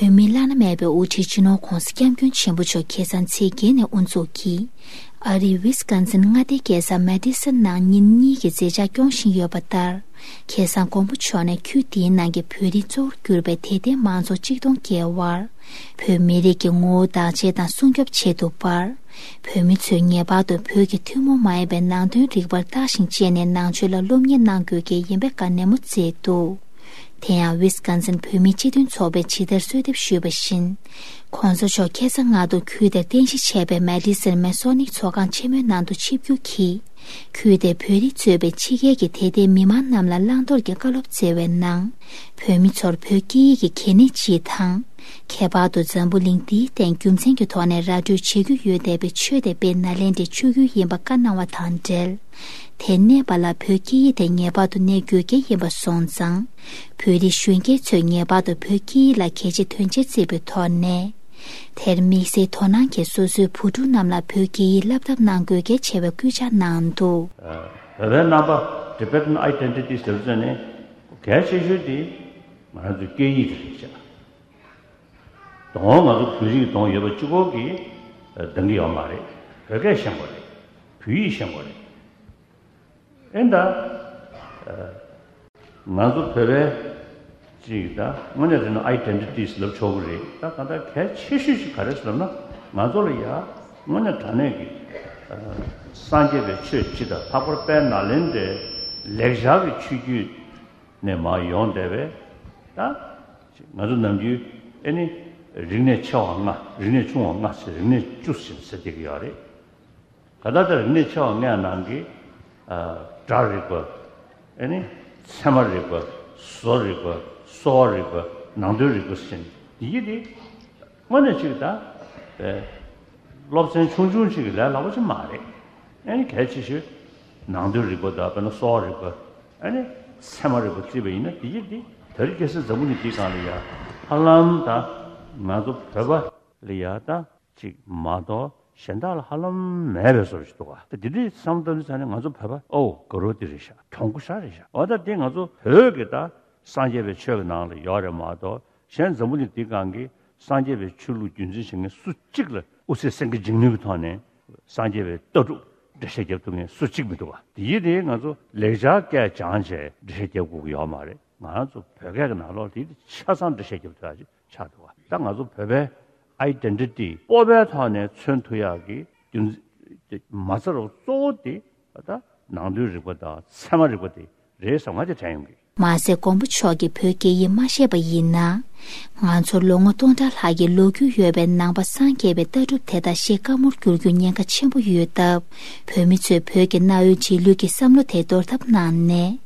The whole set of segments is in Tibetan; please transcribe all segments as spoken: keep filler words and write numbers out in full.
བོད་མིའི་བླ་ན་མེད་པའི་དབུ་ཁྲིད་སྤྱི་ནོར་༧གོང་ས་༧སྐྱབས་མགོན་ཆེན་པོ་མཆོག་ཁ་སང་ཚེས་བརྒྱད་ནས་དབུ་འཛུགས་ཀྱིས་ཨ་རིའི་ཝི་སི་ཀོན་སིན་མངའ་སྡེའི་རྒྱལ་ས་མེ་ཏི་སོན་ནང་ཉིན་གཉིས་ཀྱི་མཛད་འཆར་སྐྱོང་བཞིན་ཡོད་པ་ལྟར། ཁ་སང་མགོན་པོ་མཆོག་ནས་ཁུལ་དེའི་ནང་གི་བོད་རིགས་གཙོ་བོར་གྱུར་པའི་དད་ལྡན་མང་ཚོགས་གཅིག་སྟོང་བརྒལ་བར། བོད་མི་རིགས་ཀྱི་ངོ་བོ་བདག་གཅེས་དང་སྲུང་སྐྱོབ་བྱེད་ཐུབ་པར། བོད་མི་ཚོས་ངེས་པར་དུ་བོད་ཀྱི་ཐུན་མོང་མ་ཡིན་པའི་ནང་དོན་རིག་པར་བརྟག་ཞིང་དཔྱད་ནས་ནང་ཆོས་ལ་སློབ་གཉེར་གནང་དགོས་གལ་ཡིན་པའི་བཀའ་ནན་མོ་བསྩལ་འདུག་དེ་ཡང་ཝི་སི་ཀོན་སིན་བོད་མིའི་སྤྱི་མཐུན་ཚོགས་པས་ཇི་ལྟར་གསོལ་འདེབས་ཞུས་པ་བཞིན། ྋགོང་ས་མཆོག་ཁ་སང་སྔ་དྲོ་ཁུལ་དེར་རྟེན་གཞི་བྱས་པའི་མེ་ཏི་སོན་མེ་སོ་ནིག་ཚོགས་ཁང་ཆེན་མོའི་ནང་དུ་ཆིབས་བསྒྱུར་གྱིས། ཁུལ་དེའི་བོད་རིགས་གཙོས་པའི་ཕྱི་རྒྱལ་གྱི་དད་ལྡན་མི་མང་རྣམས་ལ་བླང་དོར་གྱི་བཀའ་སློབ་སྩལ་བའི་ནང་། བོད་མི་ཚོར་བོད་སྐད་ཡིག་གི་གལ་གནད་སྤྱི་དང་། ཁྱད་པར་དུ་འཛམ་བུ་གླིང་འདིའི་སྟེང་རྒྱུ་མཚན་གྱི་ཐོག་ནས་ར་སྤྲོད་བྱེད་རྒྱུ་ཡོད་བསྡད་པའི་ཆོས་དེ་དཔེ་ནཱ་ལེནྡྲའི་ཆོས་བརྒྱུད་ཡིན་པ་བཀའ་གནང་བ་དང་འབྲེལ། དེར་གནས་པ་ལ་བོད་སྐད་ཡིག་དེ་ངེས་པར་དུ་གནས་དགོས་གལ་ཡིན་པ་སོང་ཙང་། བོད་རིགས་གཞོན་སྐྱེས་ཚོས་ངེས་པར་དུ་བོད་སྐད་ཡིག་ལ་གལ་ཆེ་དོན་ཆེར་བརྩི་བའི་ཐོག་ནས། དེར་དམིགས་བསལ་དོ་སྣང་གིས་སོ་སོའི་བུ་ཕྲུག་རྣམས་ལ་བོད་སྐད་ཡིག་བསླབ་ཐབས་གནང་དགོས་གལ་ཆེ་བའི་སྐུལ་ལྕག་གནང་འདུག་བོད་པའི་རྣམ་པ། Tibetan Identity ཟེར་ཚོད་ནི་གལ་ཆེ་ཤོས་དེ་ང་རང་ཚོའི་སྐད་ཡིག་རེད་ཤག་དོན་ང་ཚོ་བོད་རིགས་དོན་ཡོད་པ་གཅིག་པོ་གིས་འདང་གི་ཡོད་མ་རེད། བོད་སྐད་ཤེས་དགོས་རེད། བོད་ཡིག་ཤེས་དགོས་རེད། ཨེ་ད། ང་ཚོ་བོད་པའི་ཅིག་ད་དངོས་གནས་དྲང་གནས་ཨའི་ཌེན་ཊི་ཊི་ཟེར་ལབ་ཆོག་གི་རེད། ད་གང་ལྟར་གལ་ཆེ་ཤོས་ཤིག་ག་རེ་ཟེར་ལབ་ན། ང་ཚོ་ལ་ཡ་དངོས་གནས་དྲང་གནས་ཀྱི་སངས་རྒྱས་པའི་ཆོས་སྤྱི་དང་། ལྷག་པར་དཔལ་ནཱ་ལེནྡྲའི་ལེགས་སྦྱར་གྱི་ཆོས་བརྒྱུད་ནས་མར་ཡོང་བསྡད་པའི། ད་ང་ཚོ་ནམ་རྒྱུན་ཨེ་ནི་རིག་གནས་ཆེ་བ་ལྔ། རིག་གནས་ཆུང་བ་ལྔ་ཟེར། རིག་གནས་བཅུ་ཟེར་ཟེར་བསྡད་ཀྱི་ཡོད་རེད། ག་ད་ལྟ་རིག་གནས་ཆེ་བ་ལྔའི་ནང་གི། ཨ། སྒྲ་རིག་པ། ཨེ་ནི། ཚད་མ་རིག་པ། བཟོ་རིག་པ། གསོ་བ་རིག་པ། ནང་དོན་རིག་པ་ཟེར་ནས་འདི་ཡི་དེ་དངོས་གནས་ཅིག་ད། ཨེ། སློབ་ཚན་ཆུང་ཆུང་ཅིག་གི་ལས་སླ་པོ་ཅིག་མ་རེད། ཨེ་ནི་གལ་ཆེ་ཤོས་ནང་དོན་རིག་པ་དང་། དཔེར་ན་གསོ་བ་རིག་པ། ཨེ་ནི་ཚད་མ་རིག་པ་བརྩིས་པ་ཡིན་ན། འདི་ཡི་དེ་དེ་རིང་ཁ་སང་འཛམ་བུ་གླིང་འདིའི་སྒང་ལ་ཡ་ཧ་ལམ་ད་ང་ཚོ་བོད་པ་ལ་ཡ་ད། ཅིག་མ་གཏོགས་གཞན་དག་ལ་ཧ་ལམ་མེད་པའི་བཟོ་ཞིག་འདུག་ག་དེ་འདི་འདྲའི་བསམ་བློ་བཏང་དུས་ཙ་ནས་ང་ཚོ་བོད་པ་ཨོ་དགའ་རབ་དེ་རེད་ཤག་གྱོང་པོ་ཞེ་དྲག་རེད་ཤག་འོ་ད་དེ་ང་ཚོ་བོད་ཀྱི་ད་སངས་རྒྱས་པའི་ཆོས་ཀྱི་ནང་ལ་ཡོད་རེད་མ་གཏོགས། གཞན་འཛམ་བུ་གླིང་འདིའི་སྒང་གི་སངས་རྒྱས་པའི་ཆོས་ལུགས་རྒྱུན་འཛིན་བྱེད་མཁན་སུ་གཅིག་ལ་དབུ་ཚད་སེང་གེ་འབྱིན་ནུས་ཀྱི་ཐོག་ནས་སངས་རྒྱས་པའི་ལྟ་གྲུབ་འགྲེལ་བཤད་རྒྱབ་ཐུབ་མཁན་སུ་གཅིག་མི་འདུག་ག་དེ་ཡིན་དེ་ང་ཚོ་ལེགས་སྦྱར་སྐད་སྦྱངས་བྱས་འགྲེལ་བཤད་རྒྱབ་དགོས་ཀྱི་ཡོད་མ་རེད། ང་ཚོ་བོད་སྐད་ཀྱི་ནང་ལོགས་དེ་ཆ་ཚང་འགྲེལ་བཤད་རྒྱབ་ཐུབ་ཡ་ཅིག་ཆགས་འདུག་ག་ད་ང་ཚོ་བོད་པའི་ཨའི་ཌེན་ཊི་ཊི་སྤོབས་པའི་ཐོག་ནས་མཚོན་ཐུབ་ཡག་གི་རྒྱུ་མཚན་མ་རྩ་རུ་གཙོ་བོ་དེ་ད་ནང་དོན་རིག་པ་དང་ཚད་མ་རིག་པ་དེ་རེད་བསམ། ང་དེ་དྲན་ཡོང་གི་མ་ཟད་མགོན་པོ་མཆོག་གིས་བོད་སྐད་ཡིག་མ་ཤེས་པ་ཡིན་ན། ང་ཚོར་ལོ་ངོ་སྟོང་ཕྲག་ལྷག་གི་ལོ་རྒྱུས་ཡོད་པའི་ནང་པ་སངས་རྒྱས་པའི་ལྟ་གྲུབ་དེ་དག་ཤེས་དཀའ་མོར་འགྱུར་རྒྱུའི་ཉེན་ཁ་ཆེན་པོ་ཡོད་སྟབས། བོད་མི་ཚོས་བོད་ཀྱི་གནའ་བོའི་རྗེས་ལུས་ཀྱི་བསམ་བློ་དེ་འདོར་ཐབས་གནང་ནས།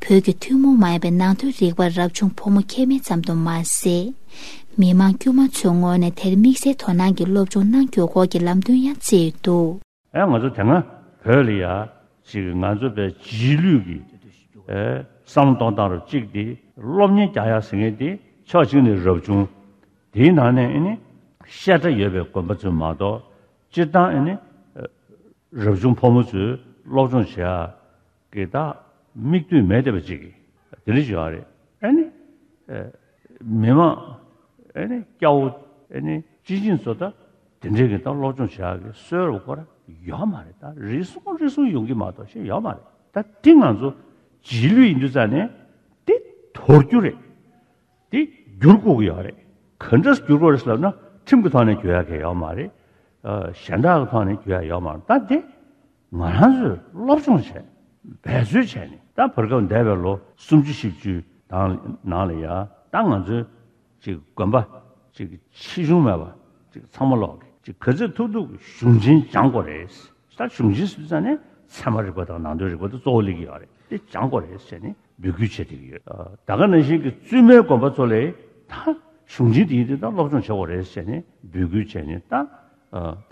བོད་ཀྱི་ཐུན་མོང་མ་ཡིན་པའི་ནང་དོན་རིག་པར་རབ་བྱུང་ཕོ་མོ་ཁྱད་མེད་ཙམ་དུ་མ་ཟད། མི་མང་དཀྱུས་མ་ཚོའི་ངོས་ནས་དེར་དམིགས་བསལ་དོ་སྣང་གིས་སློབ་སྦྱོང་གནང་རྒྱུའི་སྐོར་གྱི་ལམ་སྟོན་ཡང་བསྩལ་འདུག་ཨེ་ང་ཚོ་དེ་སྔ་བོད་ལ་ཡ་ཅིག་ང་ཚོ་བའི་རྗེས་ལུས་ཀྱི་ཨེ་བསམ་བློ་གཏོང་སྟངས་རུ་གཅིག་དེ་སློབ་གཉེར་རྒྱག་ཡ་ཟེར་མཁན་དེ་ཕྱོགས་གཅིག་ནས་རབ་བྱུང་། དེའི་ནང་ནས་ཨེ་ནི་བཤད་གྲྭ་ཡོད་པའི་དགོན་པ་ཚོས་མ་གཏོགས། སྤྱིར་བཏང་ཨེ་ནི་རབ་བྱུང་ཕོ་མོ་ཚོས་སློབ་སྦྱོང་བྱེད་ཡ་གི་ད་མིག་ལྟོས་མེད་བསྡད་པ་ཅིག་གིས་དེ་འདྲ་ཞིག་ཡོད་རེད། ཨེ་ནི། མི་མང་ཨེ་ནི་སྐྱ་བོ་ཨེ་ནི་སྤྱི་བྱིངས་ཚོ་ད་དེ་འདྲའི་གི་ད་སློབ་སྦྱོང་བྱེད་ཡག་གི་སྲོལ་རུ་སྐོར་ཡོད་མ་རེད། ད་རེ་ཟུང་རེ་ཟུང་ཡོང་གི་མ་གཏོགས་ཞེ་ཡོད་མ་རེད། ད་དེ་ང་ཚོ་རྗེས་ལུས་ཡིན་དུས་ཙ་ནས་དེ་དོར་རྒྱུ་རེད། དེ་བསྒྱུར་དགོས་ཀྱི་ཡོད་རེད། ག་འདྲས་བསྒྱུར་དགོས་རེད་ཟེར་ལབ་ན་ཁྲིམས་ཀྱི་ཐོག་ནས་བསྒྱུར་ཡག་གི་ཡོད་མ་རེད། ཨ། གཞན་དག་གི་ཐོག་ནས་བསྒྱུར་ཡག་ཡོད་མ་རེད། ད་དེ་ང་རང་ཚོས་སློབ་སྦྱོང་བྱས། འབད་རྩོལ་བྱས་ནས། ད་བར་སྐབས་འདས་པའི་ལོ་སུམ་ཅུ་བཞི་བཅུ་དང་ནང་ལ་ཡ་ད་ང་ཚོའི་ཅིག་དགོན་པ་ཅིག་ཆེ་ཆུང་མེད་པ་ཅིག་ཚང་མ་ལོག་གི་ཅིག་ག་ཚོད་ཐུབ་ཐུབ་གཞུང་ཆེན་སྦྱང་དགོས་རེད། ད་གཞུང་ཆེན་ཟེར་ཙ་ནས་ཚད་མ་རིག་པ་དང་ནང་དོན་རིག་པ་དེ་གཙོ་བོ་སླེབས་ཀྱི་ཡོད་རེད། དེ་སྦྱང་དགོས་རེད་ཟེར་ནས་འབོད་སྐུལ་བྱེད་བསྡད་ཀྱི་ཡོད། ད་ག་ནང་བཞིན་གྱི་བཙུན་མའི་དགོན་པ་ཚོ་ལ་ད་གཞུང་ཆེན་དེ་ཡིན་དུས་ད་སློབ་སྦྱོང་བྱེད་དགོས་རེད་ཟེར་ནས་འབོད་སྐུལ་བྱས་ནས། ད་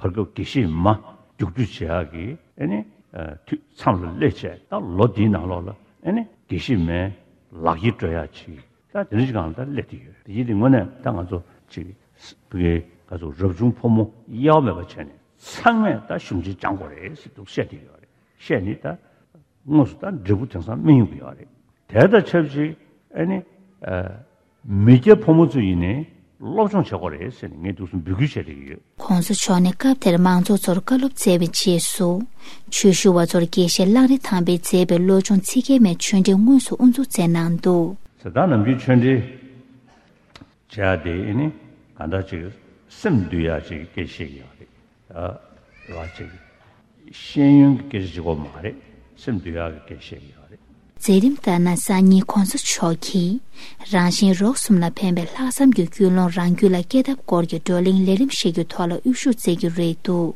བར་སྐབས་དགེ་བཤེས་མ་རྒྱུགས་སྤྲོད་བྱེད་ཡག་གི་ཨེ་ནི་དུས་མཚམས་ལ་སླེབས་བྱས། ད་ལོ་འདིའི་ནང་ལོགས་ལ་ཨེ་ནི་དགེ་བཤེས་མའི་ལག་འཁྱེར་སྤྲོད་ཡག་ཅིག་ད་དེ་འདྲ་ཞིག་སྒང་ལ་ད་སླེབས་བསྡད་ཡོད། དེ་ཡིན་དུས་དངོས་གནས་ད་ང་ཚོ་ཅིག་ཕ་གིའི་ང་ཚོ་རབ་བྱུང་ཕོ་མོ་གཡེལ་བ་མེད་པ་བྱས་ནས་ཚང་མས་ད་གཞུང་ཆེན་སྦྱང་དགོས་རེད་ཟེར་འདུག་བཤད་བསྡད་ཡོད་རེད། བཤད་ནས་ད་དངོས་སུ་ད་འབྲས་བུ་དེང་སང་སྨིན་ཡོང་གི་ཡོད་རེད། དེ་དང་ཆབས་ཅིག་ཨེ་ནི་ཨ་མི་སྐྱ་ཕོ་མོ་ཚོ་ཡིན་ནའི་ སློབ་སྦྱོང་བྱེད་དགོས་རེད་ཟེར་ནས་ངས་འདུག་སེ་འབོད་སྐུལ་བྱས་བསྡད་ཀྱི་ཡོད། གོང་ས་མཆོག་ནས་སྐབས་དེར་མང་ཚོགས་ཚོར་བཀའ་སློབ་སྩལ་བའི་རྗེས་སུ། ཆོས་ཞུ་བ་ཚོར་དགེ་བཤེས་གླང་རི་ཐང་པས་མཛད་པའི་བློ་སྦྱོང་ཚིག་བརྒྱད་མའི་ཆོས་འབྲེལ་དངོས་སུ་དབུ་འཛུགས་མཛད་གནང་འདུག། ཟེར་ད་ནམ་རྒྱུན་ཆོས་འབྲེལ་བྱས་ཏེ་ཨེ་ནི་ག་འདྲ་ཅིག་སེམས་འདུལ་ཡག་ཅིག་སྐད་ཆ་བཤད་ཀྱི་ཡོད་རེད། ཨ་ར་ཅིག་ཤེས་ཡོན་གྱི་སྐད་ཆ་ཅིག་གོ་མ་རེད། སེམས་འདུལ་ཡག་གི་སྐད་ཆ་བཤད་ཀྱི་ཡོད་རེད། མཛད་རིམ་ལྟར་ན་སང་ཉིན་གོང་ས་མཆོག་གིས་རང་གཞན་རོགས་གསུམ་ལ་ཕན་པའི་ལྷག་བསམ་གྱི་ཀུན་སློང་རང་རྒྱུད་ལ་སྐྱེ་ཐབས་སྐོར་གྱི་བགྲོ་གླེང་ལས་རིམ་ཞིག་གི་ཐོག་ལ་དབུ་བཞུགས་མཛད་ཀྱི་རེད་འདུག།